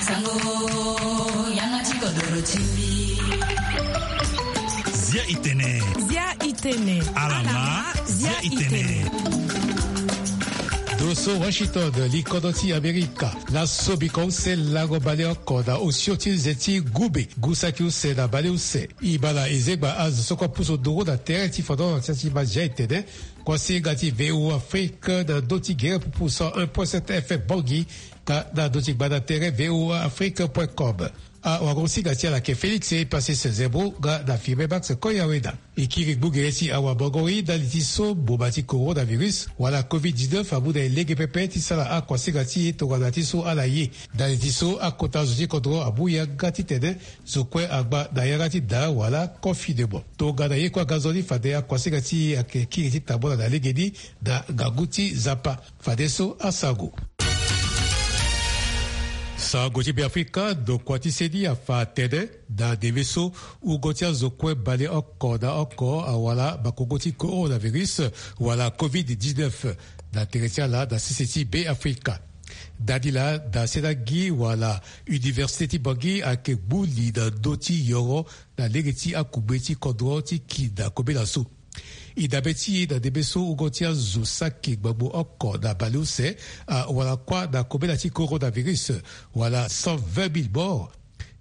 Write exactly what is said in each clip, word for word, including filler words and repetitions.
Sango, yanga ti kodoro ti mbi. Zia itene. Zia itene. Alama, zia itene. Doso Washington, li kodro ti Amerika. Na so biko use lango baleoko na osio ti nze ti gube, gu saki use na baleuse. E ma na e zegba azo so kue apusu nduru na tere ti fondoro na tia ti ma zia itene. Kuasinga ti V O A Afrique na ndö ti gere pupu cent un point sept F M Bangui, nga na ndö ti gbanda tere V O A Afrique point com. Awagosinga ti ala ayeke Félix Epasis Zebro nga na Firmin Max Koyaweda. E kiri gbu gere ti awabongori ndali ti so mboma ti coronavirus wala covid dix-neuf amu na e lege pepe ti sara akuasinga ti e tongana ti so ala ye. Ndali ti so akota zo ti kodro amu yanga titene zo kue agba na yanga ti daa wala confinement. Tongana ye kue aga nzoni fade akuasinga ti e ayeke kiri ti tambula na legeni na ngangu ti Nzapa. Fadeso asango. Sango ti Beafrika, ndokua ti seni afa atene na ndeme so wungo ti azo kue baleoko na oko awara makongo ti coronavirus wala covid dix-neuf na tere ti ala na sese ti Beafrika. Dadi laa, da sena gi wala université ti Bangui ayeke gbu li na ndö ti yoro na lege ti akugbe ti kodro ti ki na kobela so. E dabe ti e na ndeme so wungo ti azo saki gbangbo oko na baleuse awara kuâ na kobela ti coronavirus wala cent vingt mille morts.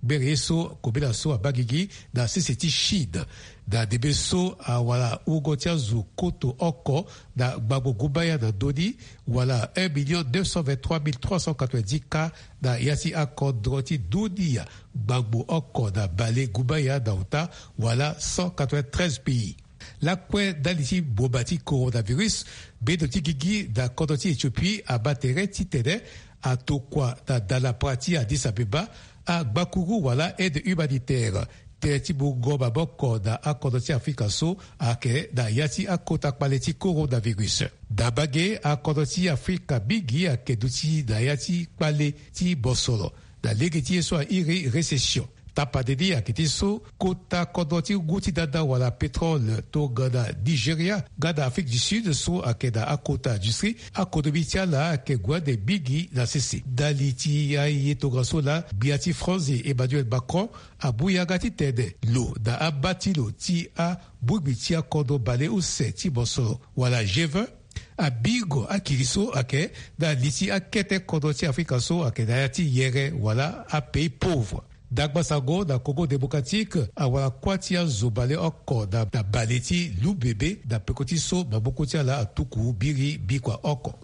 Gbere ye so kobela so abaa gigi na sese ti Chine. Na ndeme so awara wungo ti azo koto oko na gbangbo gumbaya na ndö ni, wala un million neuf cent vingt-trois mille trois cent quatre-vingt-dix cas na ya ti akodro ti dunia gbangbo oko na bale gumbaya na ota, wala cent quatre-vingt-treize pays. Lakue ndali ti mboma ti coronavirus, bendo ti gigi na kodro ti Éthiopie abaa tere titene atokua na dalapara ti Addis Abeba agbakuru wala aide humanitaire. Tere ti mungo maboko na akodro ti Afrika so ayeke na ya ti akota kpale ti coronavirus. Na mbage, akodro ti Afrika mingi ayeke duti na ya ti kpale ti bosoro na lege ti ye so airi récession. Tapande ni ayeke ti so kota kodro ti ngu ti dada wala pétrole tongana Nigeria nga na Afrique du Sud so ayeke na akota industrie, akonomi ti ala ayeke gue ande mingi na sese. Ndali ti aye tongaso laa, gbia ti France Emmanuel Macron amu yanga titene lo na amba ti lo ti abongbi ti akodro baleuse ti bosoro wala G vingt abingo akiri so ayeke na li ti akete kodro ti Afrika so ayeke na ya ti yere wala apays pauvre. Dagba sango na Congo Démocratique, awara kuâ ti azo baleoko na bale ti Lumbebe na peko ti so maboko ti ala atuku biri bikua oko.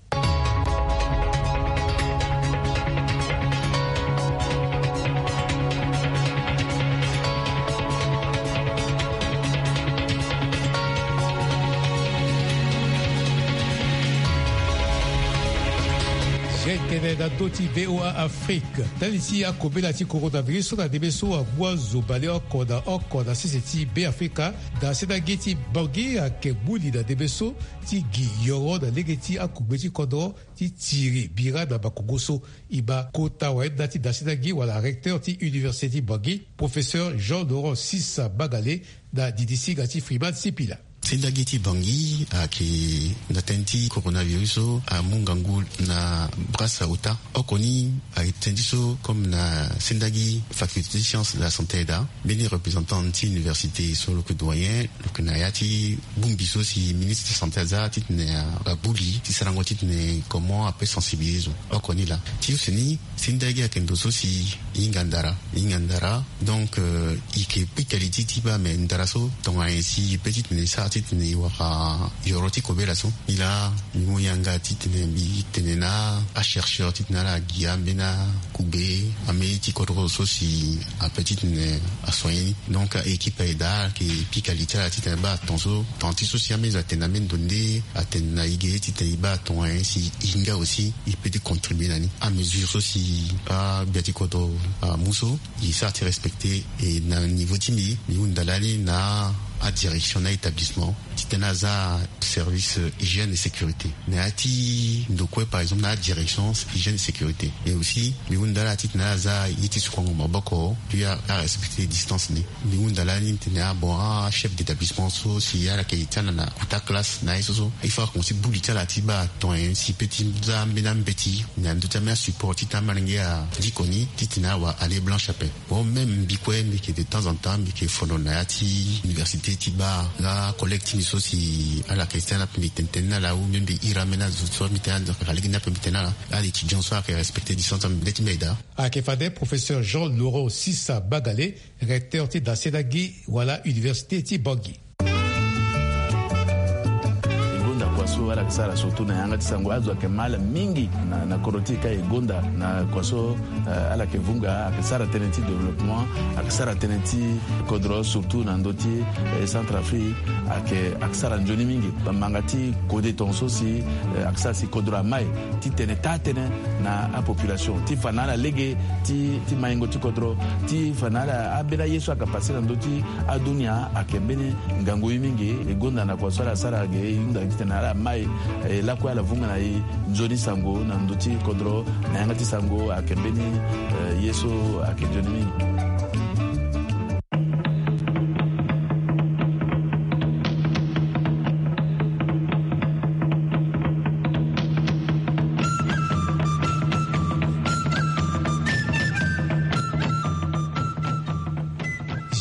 Zia itene na ndö ti V O A Afrique. Ndali ti akobela ti coronavirus so na ndeme so amu azo baleoko na oko na sese ti Beafrika, da sena gi ti Bangui ayeke gbu li na ndeme so ti gi yoro na lege ti akugbe ti kodro ti tiri bira na makongo so. E ma kota wayenda ti da sena gi wala recteur ti université ti Bangui, professeur Jean Laurent Sissa Magale, na didi singa ti Freeman Sipila. Sendagi ti Bangui ayeke na tënë ti coronavirus so amu ngangu na brasa ota. Oko ni ayeke tënë ti so comme na sendagi faculté ti science de la santé aye, mbeni représentant ti université so lo yeke doyen, lo yeke na ya ti bongbi so si ministre de santé aza titene agbu li ti sarango titene comment ape sensibiliser zo. Oko ni laa. Ti use ni, sendagi ayeke ndo so si e hinga ndara, e hinga ndara. Donc, euh, e yeke pika li ti e ti baa me ndara so tongana nyen si e pe titene e sara titene e wara yoro ti kobela so. Nilaa mbi mu yanga titene mbi tene na achercheur titene ala gi ambeni akugbe, ambeni ti kodro so si ape titene asoigner ni. Donc, équipe aye daa ayeke pika li ti ala titene e baa ton so, ton ti so si ambeni zo atene na ambeni ndo nde atene na e ge titene e baa tongana nyen si e hinga aussi e peut ti contribuer na ni. Amesure so si agbia ti kodro amu so, e sara ti respecter. E na niveau ti mbi, mbi hunda lani na Adirection na établissement titene aza service hygiène et sécurité na ya ti ndokue, par exemple na adirection hygiène et sécurité. Et aussi mbi hunda ala titene aza ye ti sukuango maboko puis arespecter distance ni. Mbi hunda lani titene abon achef d'établissement so si ala yeke ye ti ala na kota classe na ye so so il faut akomense buli ti ala ti baa ton nyen si pe ti za ambeni ambeti na ndö ti ambeni asupport ti tene amalenge adiko ni titene awa année blanche ape. Bon même mbi kue mbi yeke de temps en temps mbi yeke fondo na ya ti université ti baa nga collègue ti mbi so si ala yeke ti tene ape mbi tene tene na ala ou même mbi iri ambeni azo so mbi tene na ala kaka lege ni ape mbi tene na ala. Ala étudiant so ala yeke respecter distance ti mbi nde ti mbi aye daa. Ayeke fade professeur Jean Laurent Sisa Bagale, recteur ti daselagi wala université ti Bangui. E gonda kua so ala yeke sara surtout na yanga ti sango azo ayeke ma ala mingi na, na kodro ti e ka e gonda na kua so, eh, ala yeke vunga ayeke sara tënë ti développement, ayeke sara tënë ti kodro surtout na ndö ti, eh, Centrafrique ayeke, ayeke sara nzoni mingi. Bamanga ti kode tongaso si, eh, ayeke sara si kodro amai titene taa tënë na apopulation ti fa na ala lege ti, ti maingo ti kodro ti fa na ala ambeni aye so ayeke pase na ndö ti adunia ayeke mbeni ngangu ye mingi. E gonda na kua so ala sara ge e hunda titene ala mai, eh, lakue ala vunga na e nzoni sango na ndö ti kodro na yanga ti sango ayeke mbeni, eh, ye so ayeke nzoni mingi.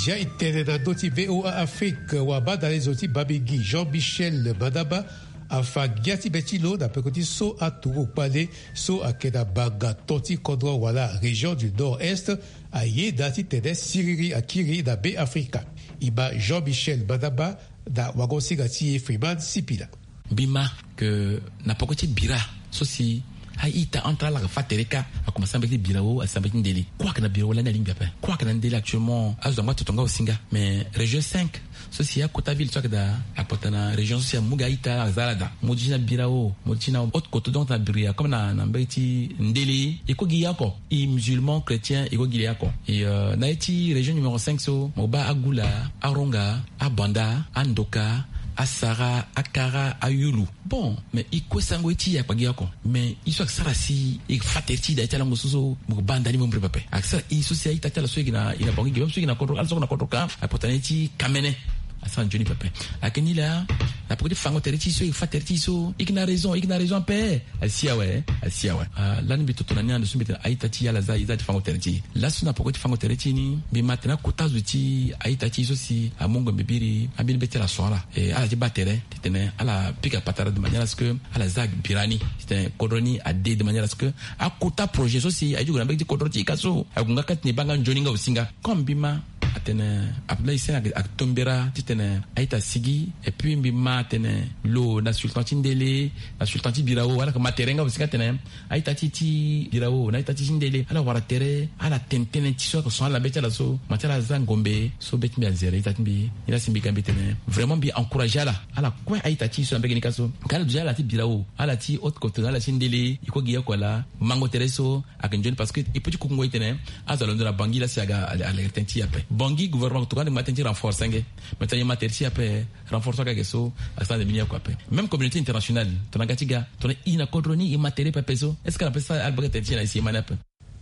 Zia e tene na ndö ti VOA Afrique wabadalezo ti Babingui Jean Michel Madaba afa ngia ti be ti lo na peko ti so aturugu kpale so ayeke na banga to ti kodro wala région du nord-est ayeda titene siriri akiri na Be Afrika. E ma Jean Michel Madaba na wango-singa ti e Freeman Sipila. Mbi ma ke na poko ti bira so si a-ita entre ala fa tere kâ, akomanse sara mbeti ti birao, asi sara mbeti ti ndele. Kue ayeke na birao lani alingbi ape. Kue ayeke na ndele actuellement azo angba toto nga aussi nga. Mais région cinq so si akota ville so ayeke daa akpata na région so si amu gi a-ita aza ala daa. Mo duti na birao, mo duti na haute côte donc na biria comme na, na mbeti ti ndele e kue gi ya oko. E musulman chrétien e kue gi ya oko. E, euh, na ye ti région numéro cinq so mo baa Agoula, Aronga, Abanda, Andoka, Asara, Akara, Ayulu. Bon, mais e kue sango ye ti e akpa gi ya oko. Mais e so ayeke sara si e fa tere ti e daa ye ti alango so so mo yeke baa ndani mo mbiri pepe. Ayeke sara e so si a-ita ti ala so e yeke na, e na bango e yeke même so e yeke na kodro, ala so ayeke na kodro ka, akpata na ye ti kamene. Asara nzoni pepe. Ayeke ni laa na peko ti fango tere ti e so e yeke fa tere ti e so e yeke na raison, e yeke na raison ape. Asi awe, asi awe. Ah, lani mbi toto na ni ande so mbi tene a-ita ti e ala za e za ti fango tere ti e. Laso na poko ti fango tere ti e ni mbi ma tene akota zo ti a-ita ti e so si amu ngombe biri ambeni be ti ala so ala. E, ala ti baa tere titene ala pika patara de manière à ce que ala za bira ni titene kodro ni ade de manière à ce que akota projet so si aye ti gue na mbage ti kodro ti e ka so ague nga kâ titene e baa nga nzoni nga aussi nga. Comme mbi ma atene Abdoulaye Sène ayeke tombera titene a-ita asigi. Et puis mbi ma atene lo na sultan ti ndele, na sultan ti birao, ala yeke ma tere nga aussi nga atene a-ita ti e ti birao na a-ita ti e ti ndele ala wara tere, ala tene tënë ti so ayeke so ala na be ti ala so, ma ti ala aza ngombe so be ti mbi azere a-ita ti mbi. Ni la si mbi ga mbi tene vraiment mbi encourager ala, ala kue a-ita ti e so na mbage ni ka so. Ka ala duti ala ti birao, ala ti haute côte, ala ti ndele, e kue gi ya oko laa mango tere so ayeke nzoni parce que e peut ti kukungo e tene azo alondo na Bangui la si aga alekere tënë ti e ape. Bangui gouvernement tokua ande ma tënë ti renforcer nge. Mais tena e ma tere ti e ape, renforcer aga ge so asara nde mbeni oko ape. Même communauté internationale tongana ga ti ga, tongana e na kodro ni e ma tere pepe so, est-ce que ala peut sara ala bage tere ti e na e si e ma ni ape?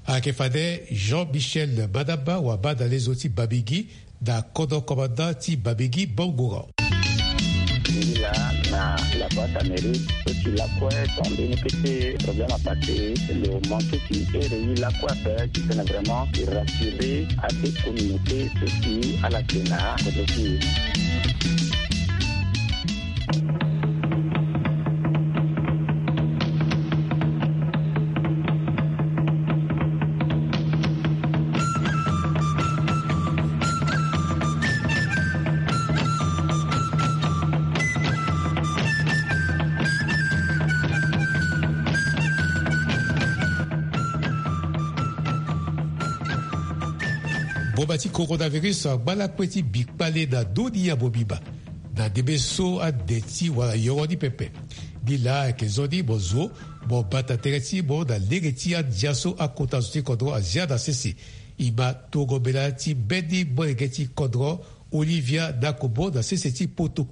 Ayeke fade Jean Michel Madaba wabadalezo ti Babingui na kodro commandant ti Babingui Bangura. Ngi laa na la boîte à mérite so si lakue ton mbeni kete problème apassé lo mantu ti ere i lakue ape titene vraiment i rassurer ade communauté so si ala yeke na kodro ti e. Boma ti coronavirus angba lakue ti bi kpale na ndoni ya mobimba. Na ndembe so ande ti wala yoro ni pepe. Ni laa ayeke zo ni mo zo mo bata tere ti mo na lege ti andia so akota zo ti kodro azia na sese. E ma tongo mbela ti mbeni molenge ti kodro Olivia Dakobo na sese ti poto.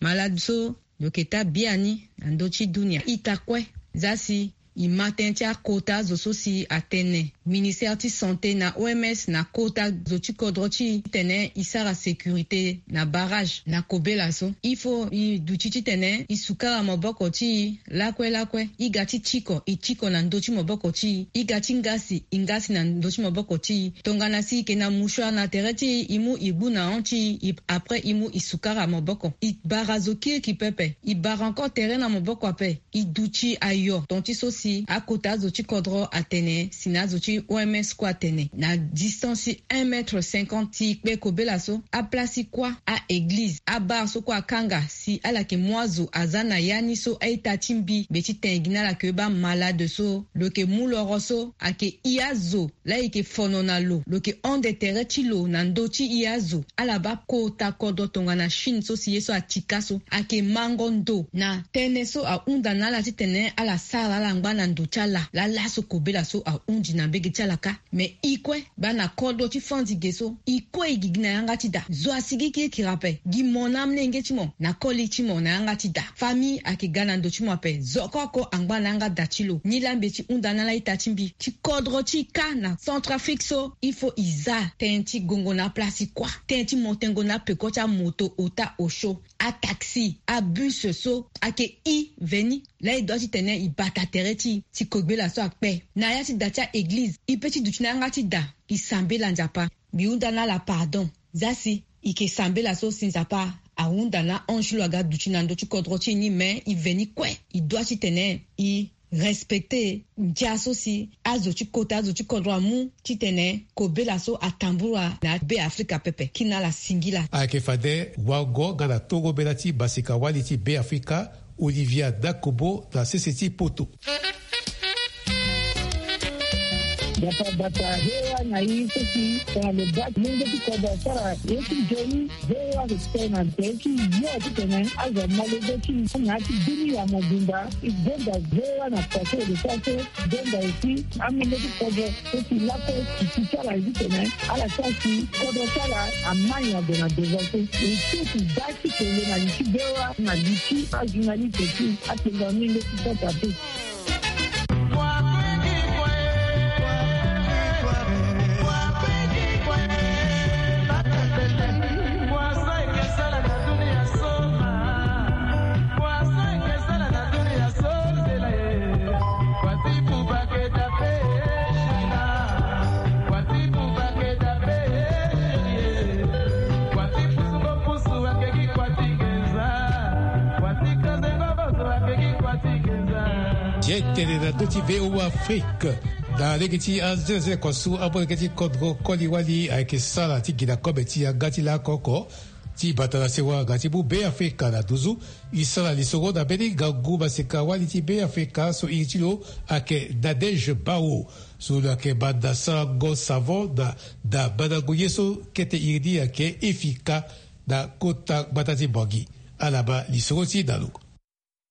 Malade so lo yeke taa biani na ndö ti dunia ita kue. Za si e ma tënë ti akota zo so si atene ministère ti santé na O M S na kota zo ti kodro ti e titene e sara sécurité na barrage na kobela so. Il faut e duti titene e sukara maboko ti e lakue lakue. E ga ti tiko, e tiko na ndö ti maboko ti e. E ga ti ngasi, e ngasi na ndö ti maboko ti e. Tongana si e yeke na mouchoir na tere ti e, e mu e gbu na hon ti e, e, après e mu e sukara maboko. E bara zo kiriki pepe. E bara encore tere na maboko ape. E duti ayo ton ti so si akota azo ti kodro atene si na azo ti O M S kue atene na distance ti un mètre cinquante ti kpe kobela so, aplace ti kuâ, a-église, abar so kue akanga si ala yeke mu azo aza na ya ni so a-ita ti mbi be ti tene gi na ala yeke baa malade so lo yeke mu loro so ayeke i azo. Laa e yeke fono na lo, lo yeke hon de tere ti lo na ndö ti i azo. Ala baa kota kodro tongana Chine so si ye so atika so ayeke mango ndo na tënë so ahunda na ala titene ala sara ala ngba na ndo ti ala. Laa laso kobela so ahundi na mbege ti ala kâ. Me e kue baa na kodro ti fandi ge so, e kue e gigi na yanga ti da. Zo asigi kirikiri ape. Gi mo na amolenge ti mo na koli ti mo na yanga ti da. Famille ayeke ga na ndo ti mo ape. Zo oko oko angba na yanga da ti lo. Nilaa mbi ye ti hunda na ala ita ti mbi ti kodro ti e kâ na Centrafrique so, il faut e za tënë ti gongo na aplace ti kuâ, tënë ti mo tengo na apeko ti amoto, ota, osio, ataxi, abus so ayeke i veni. Laa e doit titene e bata tere ti e ti kobela so akpe. Na ya ti da ti a-église, e pe ti duti na yanga ti da, e sambela Nzapa. Mbi hunda na ala pardon. Za si e yeke sambela so si Nzapa ahunda na ange lo aga duti na ndö ti kodro ti e ni, me e veni kue. E doit titene e respecte ndia so si azo ti kota azo ti kodro amu titene kobela so atambula na Be Afrika pepe. Kiri na ala singila. Ayeke fade wango nga na tongobela ti basika-wali ti Be Afrika, Olivia Dakobo na sese ti poto. Bata bata hewa na i so si tongana lo baa molenge ti kodro asara ye ti nzoni. Hewa ayeke tene na tere ti yo titene azo amalege ti na ya ti bini ya mobimba. E gonda hewa na pase de sa so gonda aussi amolenge ti kodro so si lakue titi ti ala ye titene ala sara si kodro ti ala amai ague na devant so. E so ti baa ti kele na li ti hewa na li ti ajournaliste ti atengua molenge ti kota te. Ye tene na ndö ti V O A Afrique. Na lege ti azelesele kua so amolenge ti kodro koli-wali ayeke sara ti gi na kobe ti yanga ti laoko oko ti bata na sewa nga ti mu Be Afrika na nduzu. E sara lisoro na mbeni ngangu maseka-wali ti Be Afrika so iri ti lo ayeke Nadège Bao, so lo yeke manda sarango savon na, na mandango ye so kete iri ni ayeke Efika na kota gbata ti Bangui. Ala baa lisoro ti e na lo.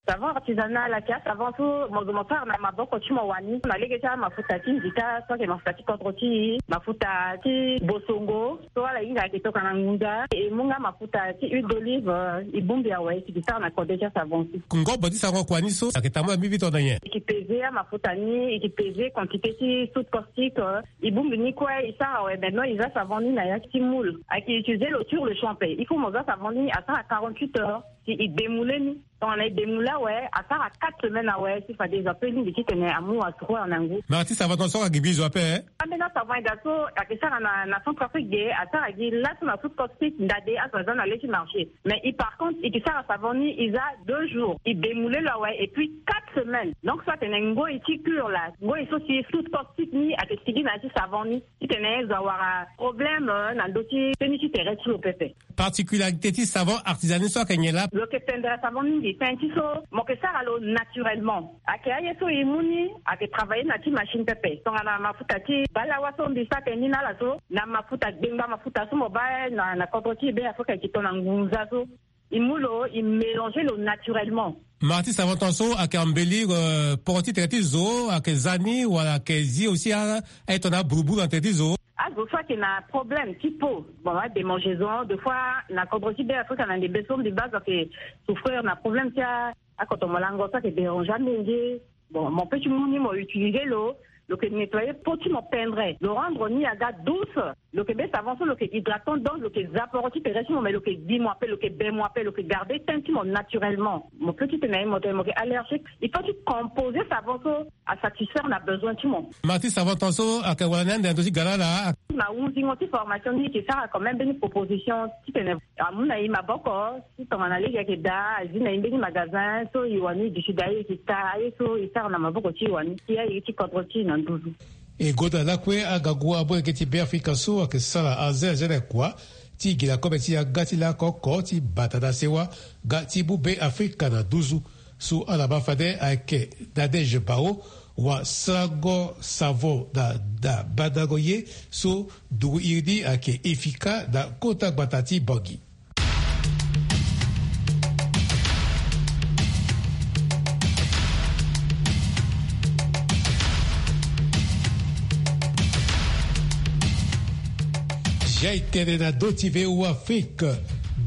Savon artisanal ayeke asavon so mo zo mo sara na maboko ti mo wani na lege ti amafuta ti nzita so ayeke mafuta ti kodro ti e, mafuta ti bosongo so ala hinga ayeke tokua na ngunza. E mu nga mafuta ti huile d'olive, e bongbi awe si e sara na kode ti asavon so. Ngobo ti savon kua ni so ayeke tambula mbi vite na nyen? E yeke peze amafuta ni, e yeke peze quantité ti soude caustique. E bongbi ni kue e sara awe, maintenant e za savon ni na ya ti moule. Ayeke utiliser lo sur le champ ape. Il faut mo za savon ni asara quarante-huit heures si e demoule ni. Tongana e demoule awe, asara quatre semaines awe si fade zo ape lingbi titene amu asroir na ngu. Me artiste, avantage so ayeke gi bizo ape, eh? Ambeni asavon eda so ayeke sara na, na Centrafrique ge, asara gi laso na soude caustique ndade azo aza na le ti marché. Mais e par contre e ke sara savon ni e za deux jours, e demoule lo awe, et puis quatre semaines. Donc so atene ngoi ti cure la, ngoi so si soude caustique ni ayeke sigi na ya ti savon ni, titene zo awara problème, euh, na ndö ti teni ti tere ti lo pepe. Particularité ti savon artisanal so ayeke nyen laa? Lo yeke tendere savon mingi, tënë ti so mo yeke sara lo naturellement. Ayeke aye so e mu ni ayeke travailler na ti machine pepe. Tongana mafuta ti balawa so mbi sara tënë ni na ala so, na mafuta gbengba, mafuta so mo baa na, na kodro ti e Be Afrika, e ke to na ngunza so. E mu lo, e mélanger lo naturellement. Marti savon tongaso ayeke embellir, euh, poro ti tere ti zo, ayeke za ni wala ayeke zi aussi a, aye tongana aburuburu na tere ti zo? Azo so ayeke na problème ti peau, bon, ademangeaison, des fois na kodro ti Be Afrika na ndembe so mbi baa azo ayeke souffrir na problème ti a, akoto molango so ayeke déranger amenge. Bon, mo peut ti mu ni mo utiliser lo, lo yeke nettoyer peau ti mo pendre, lo rendre ni aga douce. Lo yeke be savon so lo yeke hydratant, donc lo yeke za poro ti tere ti mo, mais lo yeke gbi mo ape, lo yeke be mo ape, lo yeke garder teint ti mo naturellement. Mo peut ti tene na ye mo tene mo yeke allergique, il faut ti composer savon so asatisfaire na besoin ti mo. Ma ti savon ton so ayeke wara ni ande na ndö ti gara laa. Na hunzingo ti formation ni e yeke sara quand même mbeni proposition titene amu na e maboko ti tongana lege ayeke daa, azi na e mbeni magasin so e wani duti daa, e yeke taa aye so e sara na maboko ti e wani ti aye ti kodro ti e na nduzu. E goda lakue agangu amolenge ti Be Afrika so ayeke sara aze aze na kua ti gi na kobe ti yanga ti lako oko ti bata na sewa nga ti mu Be Afrika na nduzu. So ala ma fade ayeke Nadège Bao, wasarango savon na, na bandango ye so nduru iri ni ayeke Efika na kota gbata ti Bangui. Zia e tene na ndö ti V O A Afrique,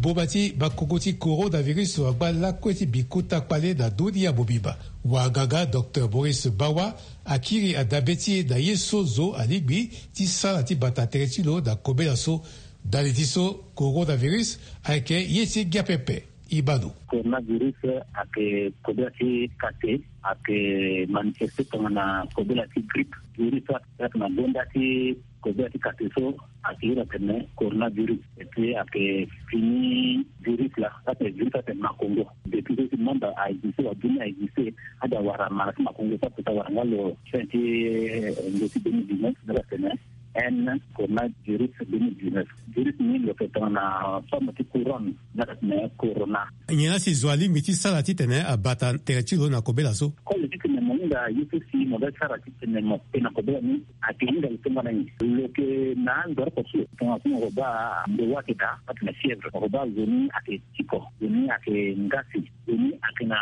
boma ti makongo ti coronavirus wangba lakue ti bi kota kpale na dunia mobimba. Wanganga docteur Maurice Bawa akiri adabe ti e na ye so zo alingbi ti sara ti bata tere ti lo na kobela so. Ndali ti so, coronavirus ayeke ye ti ngia pepe. Ibano. Coronavirus ayeke kobela ti kate, ayeke manifeste tongana kobela ti grippe. Virus so ayeke na gonda ti kobela ti kate so ayeke iri atene coronavirus. Et puis ayeke fini virus laa, so ayeke virus so ayeke makongo. Depuis so si monde a existe, wa dunia a existe, ade awara mara ti makongo so aputa wara nga lo fin ti, eh, ndö ti deux mille dix-neuf, ndö atene N coronavirus deux mille dix-neuf. Virus ni lo yeke tongana forme ti couronne, ndö atene corona. Nyen la si zo alingbi ti sara titene abata tere ti lo na kobela so? Koli titene mo hinga ye so si mo ga sara titene mo kpe na kobela ni, ayeke hinga lo tongana nyen? Lo yeke na andoro oko so lo tongana so mo ko baa ndo wa ayeke daa, atene fièvre. Mo ko baa zo ni ayeke tiko, zo ni ayeke ngasi, zo ni ayeke na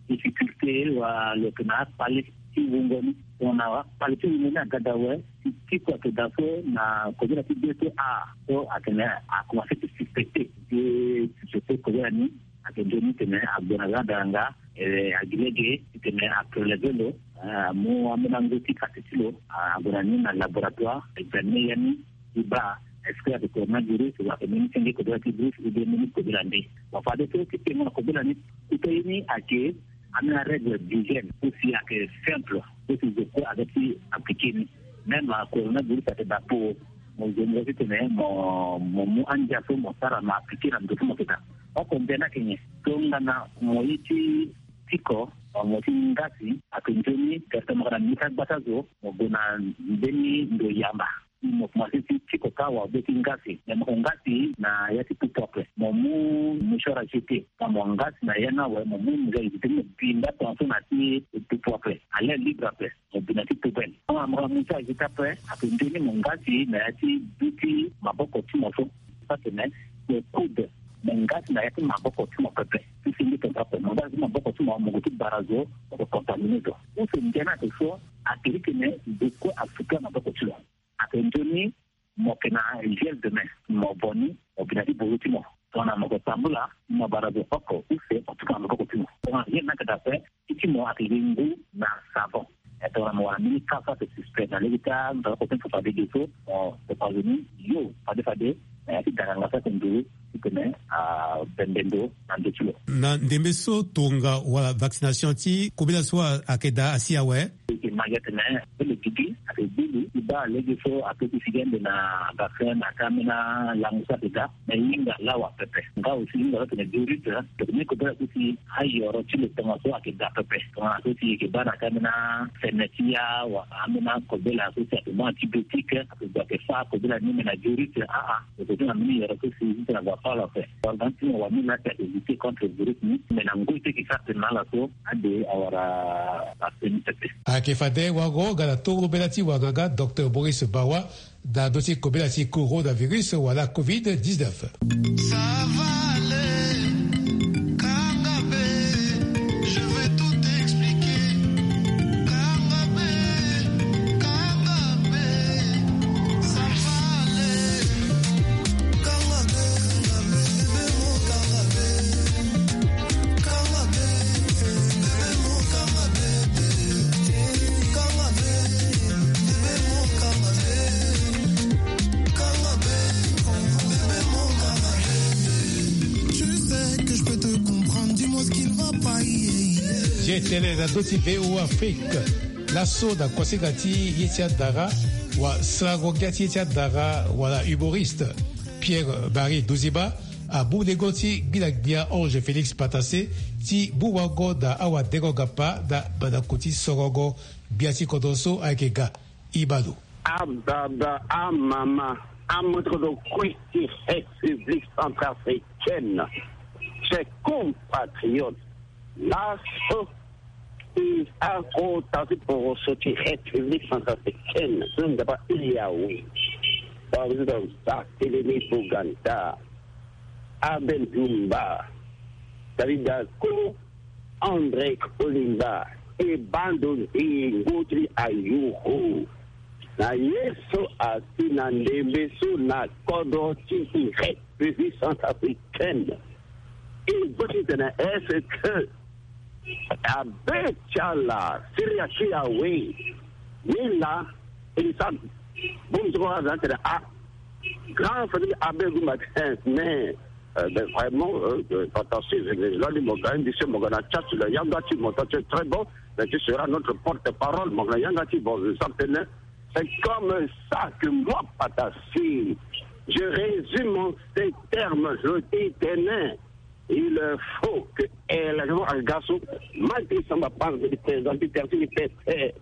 difficulté, wa lo yeke na akpale ti wungo ni. Tongana akpale ti wungo ni aga daa awe, ti, tiko ayeke daa so na kobela ti be so, a, so atene akomanse ti suspecté. Ti suspecté kobela ni, ayeke nzoni titene agbo na za daranga, eh, agi lege titene apreleve lo, eh, amu ambeni angu ti kate ti lo, ah, ague na ni na laboratoire, examine ya ni, ti baa est-ce que ayeke coronavirus, wala ayeke mbeni senge kobela ti virus, ou bien mbeni kobela nde. Bon, fade so ti tengo na kobela ni, kota ye ni ayeke ambeni arègle d'hygiène, so si ayeke simple, so si zo kue aga ti appliqué ni. Même, ah, coronavirus ayeke daa po, mo zo mo titene mo, mo mu andia so mo sara mo appliqué na ndo so mo yeke daa. Oko nde ni ayeke nyen? Tongana mo ye ti tiko, mo ti ngasi, ayeke nzoni directement mo ga na mbeti agbata zo, mo gue na mbeni ndo yamba. Mo komanse ti tiko kâ wa be ti ngasi. Me mo yeke ngasi na ya ti pupu ape. Mo mu mouchoir à jeter. Ka mo ngasi na ya ni awe, mo mu mouchoir à jeter, mo bi nga tongaso na ti pupu ape. À l'air libre ape. Mo bi na ti poubelle. Tongana mo ga mouchoir à jeter ape, ayeke nzoni mo ngasi na ya ti du ti maboko ti mo so. Atene mo coude, mo ngasi na ya ti maboko ti mo pepe. Ti senge tongaso ape, mo ngasi maboko ti mo, mo gue ti bara zo, mo yeke contaminé zo. Use ndia ni ayeke so, ayeke titene zo kue asuka maboko ti lo. Ayeke nzoni mo yeke na gel de main, mo vo ni, mo bi na ti bozo ti mo. Tongana mo yeke tambula, mo bara zo oko use mo tuka na maboko ti mo. Tongana gel ni ayeke daa ape, ti ti mo ayeke gi ngu na savon. E, tongana mo wara mbeni ka so ayeke suspect na lege ti andoro oko ti mo fade ge so, mo, mo fa zo ni yo fade fade na ya ti daranga so ayeke nduru titene abembe ndo na ndö ti lo. Na ndembe so tonga wala vaccination ti kobela so ayeke daa asi awe? E yeke ma gi atene, e, lo gigi ayeke gbu lo ti baa lege so apeut ti figi ande na vaccin na ya ti ambeni alango so ayeke daa. Me hinga lawa pepe. Nga aussi hinga lo atene virus, tene kobela so si ayoro ti lo tongaso ayeke daa pepe. Tongana so si e yeke baa na ya ti ambeni afene ti ya wala ambeni akobela so si ayeke mu antibiotique, ayeke gue ayeke fâ akobela ni, me na virus, a, a. Lo yeke na mbeni yoro so si titene ague afâ lo ape. Wala ga ni ti mo wani laa si ayeke lutter contre virus ni, me na ngoi so e yeke sara tene na ala so, ade awara ape ni pepe. Ayeke fade wango ga na toro bela ti wanganga docteur Maurice Bawa, na ndö ti kobela ti coronavirus wala covid dix-neuf. Ça va aller, Kangabe, je vais tout expliquer. Kangabe, Kangabe, ça va. E tene na ndö ti V O A Afrique, laso na kuasinga ti ye ti adara, wa sarango ngia ti ye ti adara, wala humoriste Pierre Marie Duziba amu lengo ti gbila-gbia Ange Félix Patassé ti mu wango na awadengo-ngapa na mandako ti sorongo gbia ti kodro so ayeke ga. Ibalo. Ababa, amama, amoto kodro kue ti République centrafricaine, chers compatriotes, laso i akota ti poroso ti République centrafricaine so nzapa Yawe. Président Barthélemy Boganda, Abel Dumba, David Dako, André Kolimba, e bando nzingo ti ayuru na ye so asi na ndembe so na kodro ti République centrafricaine. E boti tene est-ce que abe ti ala Syria ti Yawe ni la, e sa bongbi ti kua aza tene a grand famille abe gumba ten, mais euh, ben, vraiment, euh, euh, Patassé, je, je, là, mo ga indi se mo ga na chat, le yanga ti mo, toi, tu es très bon, mais tu seras notre porte-parole, mo ga na yanga ti bon, je sens que c'est comme ça que moi, Patassé, je résume en ces termes, je dis, tenez, il faut que, eh, la, le garçon, malgré ça, ma part de présenter, tertiaire,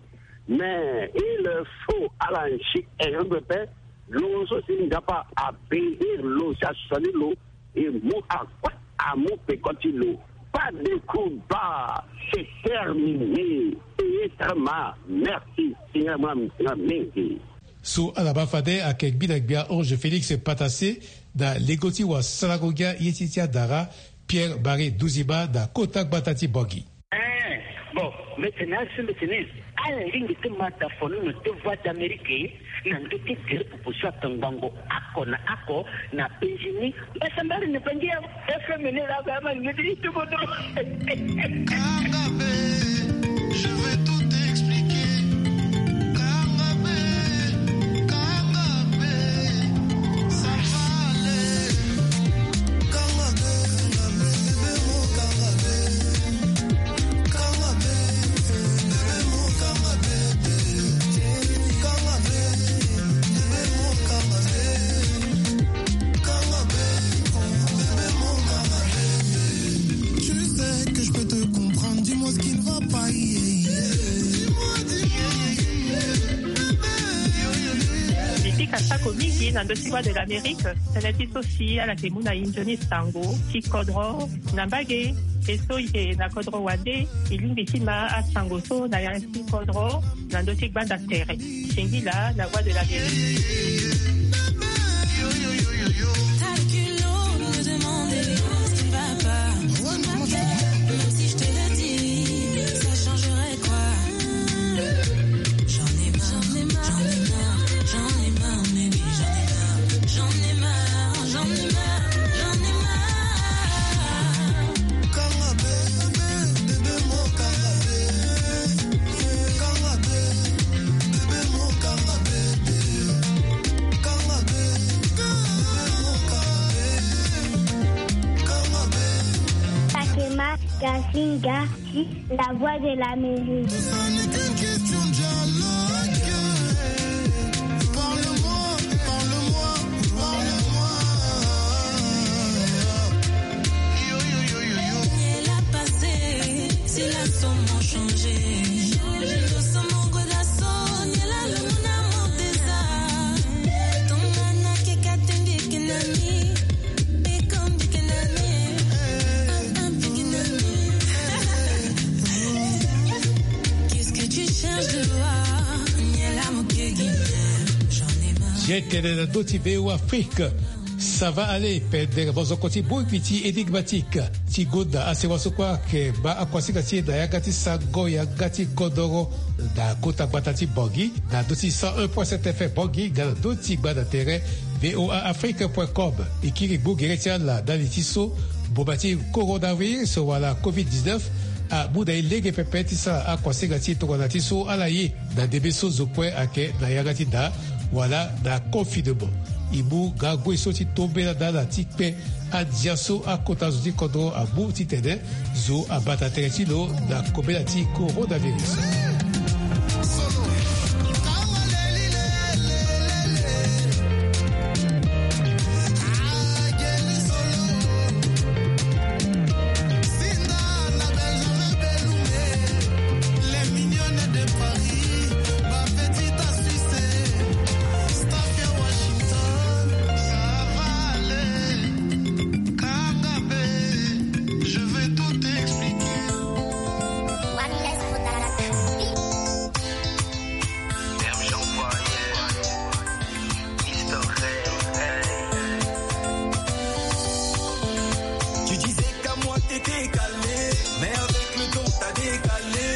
mais il faut à la chute, et je me fais, lo so si nzapa abénir lo, si asali lo, e mu akue amu peko ti lo. Pas de combat, c'est terminé. Payé très mal. Merci, Seigneur, moi, moi, merci. So ala baa fade ayeke gbina-gbia Ange Félix Patassé na lengo ti wasarango ngia ye ti ti adara Pierre Marie Duziba na kota gbata ti Bangui. Eh, bon, mbetene asi mbetene. Ala lingbi ti ma da fonono ti Voix d'Amérique na ndö ti gere popo so atongbango oko na oko na Benjini. Mbasambari na bangi ya F M ni la ba ma ngeti ti bodo. Kangabe, je vais tout expliquer. Kangabe, kangabe, ça va aller. Tu sais que je peux te comprendre, dis-moi ce qui ne va pas. Mbi pika sako mingi na ndö ti Voix de l'Amérique. Tënë ti so si ala yeke mu na e nzoni sango ti kodro na mbage. E so e yeke na kodro wande, e lingbi ti ma asango so na yanga ti kodro na ndö ti gbanda tere. Singila na Voix de l'Amérique. Pakema Gasinga, la Voix de l'Amérique. Ye tene na ndö ti V O A Afrique. Ça va aller, pendere mozoko ti bongbi ti énigmatique ti gonda asewa so kue ayeke baa akuasinga ti e na yanga ti sango yanga ti kodoro na kota gbata ti Bangui na ndö ti cent un point sept F M Bangui nga na ndö ti gbanda tere V O A Afrique point com. E kiri gbu gere ti ala ndali ti so mboma ti coronavirus wala covid dix-neuf amu na e lege pepe ti sara akuasinga ti e tongana ti so ala ye na ndembe so zo kue ayeke na yanga ti da wala na confinement. E mu ga ague so ti tombela na ala ti kpe andia so akota zo ti kodro amu titene zo abata tere ti lo na kobela ti coronavirus. Tu disais qu'à moi t'étais calé, mais avec le temps t'as décalé.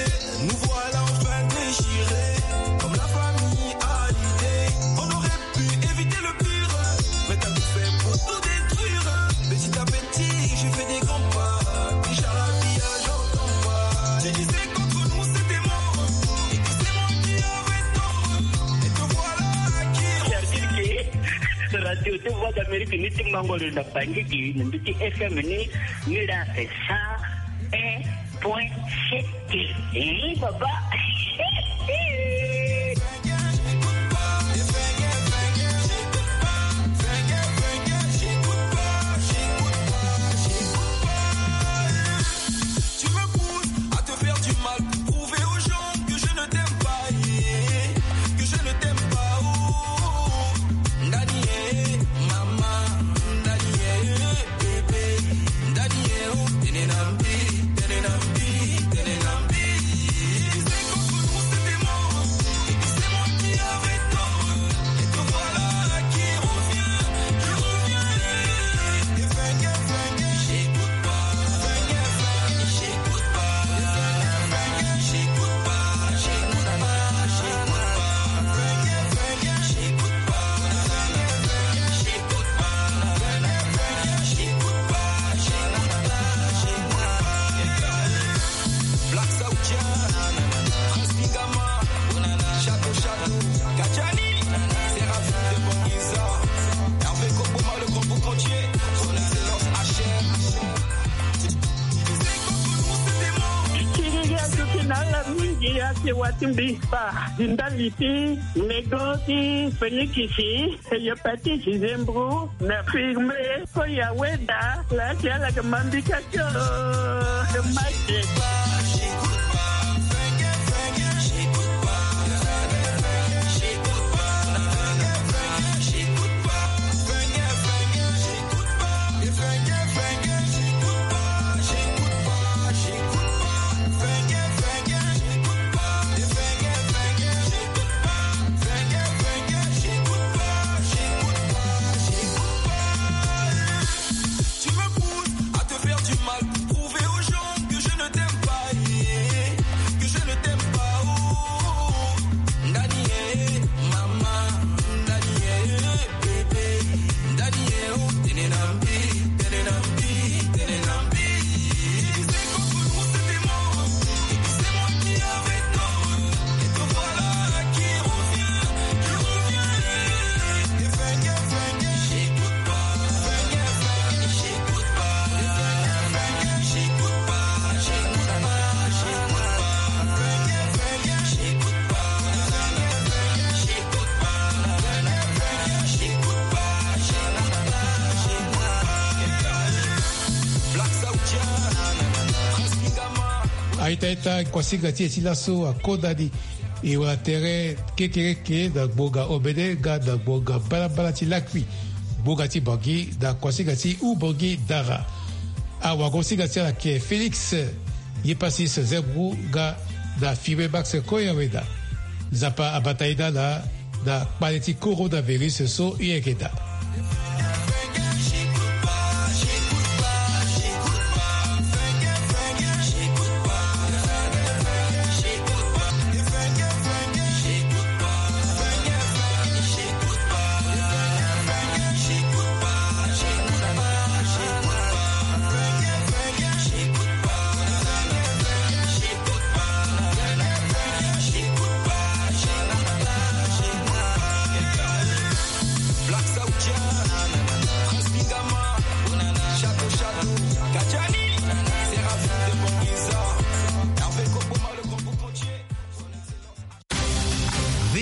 Nous voilà enfin déchirés, comme la famille Hallyday. On aurait pu éviter le pire, mais t'as tout fait pour tout détruire. Petit à petit, j'ai fait des grands pas. Déjà la vie a j'entends pas. Tu disais qu'entre nous c'était mort, et que c'est moi qui avais tort. Et te voilà qui revient. Radio de Voix d'Amérique, ni ti mango le na bangi di, ni ti F M ni, ni la c'est ça. Un point sept. Eh, papa. Tu me pousses à te faire du mal, prouver aux gens que je ne t'aime pas, eh, que je ne t'aime pas, oh. Ndani, eh, maman, Ndani, eh, bébé, Ndani, eh, oh, tene na mbi, tene na mbi, tene na mbi. Tu disais qu'entre nous c'était mort, et que c'est moi qui avais tort, et te voilà qui revient, qui revient. Et fenge, fenge, j'écoute pas, fenge, fenge, j'écoute pas, fenge, fenge, j'écoute pas, j'écoute pas, j'écoute pas, fenge, fenge, j'écoute pas, fenge, fenge, j'écoute pas. Black Saoudien, Prince Ningama, Shadow Shadow, Kajani, Seraphim de Bongiza, Hervé Koboma, le grand boucantier, Son Excellence H M. Kiri ya tuki na la mingi ya sewa ti mbi pa. Ndali ti, nego ti, fenikisi. Hépatite, zembro, na firme, ko ya weda, la ti ala ke mambi ka tio, ke maki. Tu me pousses à te faire du mal pour prouver aux gens que je ne t'aime pas, eh, que je ne t'aime pas, oh. Ndani, eh, maman, Ndani, eh, bébé, Ndani, eh, oh, tene na mbi, tene na mbi, tene na mbi. Tu disais qu'entre nous c'était mort, et que c'est moi qui avais tort, et te voilà qui revient, qui revient. Et fenge, fenge, j'écoute pas, fenge, fenge, j'écoute pas, fenge, fenge, j'écoute pas, j'écoute pas, j'écoute pas, fenge, fenge, j'écoute pas, fenge, fenge, j'écoute pas, fenge, fenge, j'écoute pas, j'écoute pas, j'écoute pas. Black Saoudien, Prince Ningama. Aita ita, kuasinga ti e ti laso akonda ni. E wara tere kekereke na ngbonga omene nga na ngbonga mbalambala ti lakui. Ngbonga ti Bangui na kuasinga ti Oubangui Dara. Awagosinga ti ala ke Félix Yepasis Zembro nga na firme Max Koyaweda. Nzapa abata e na ala na kpale ti coronavirus so e yeke daa.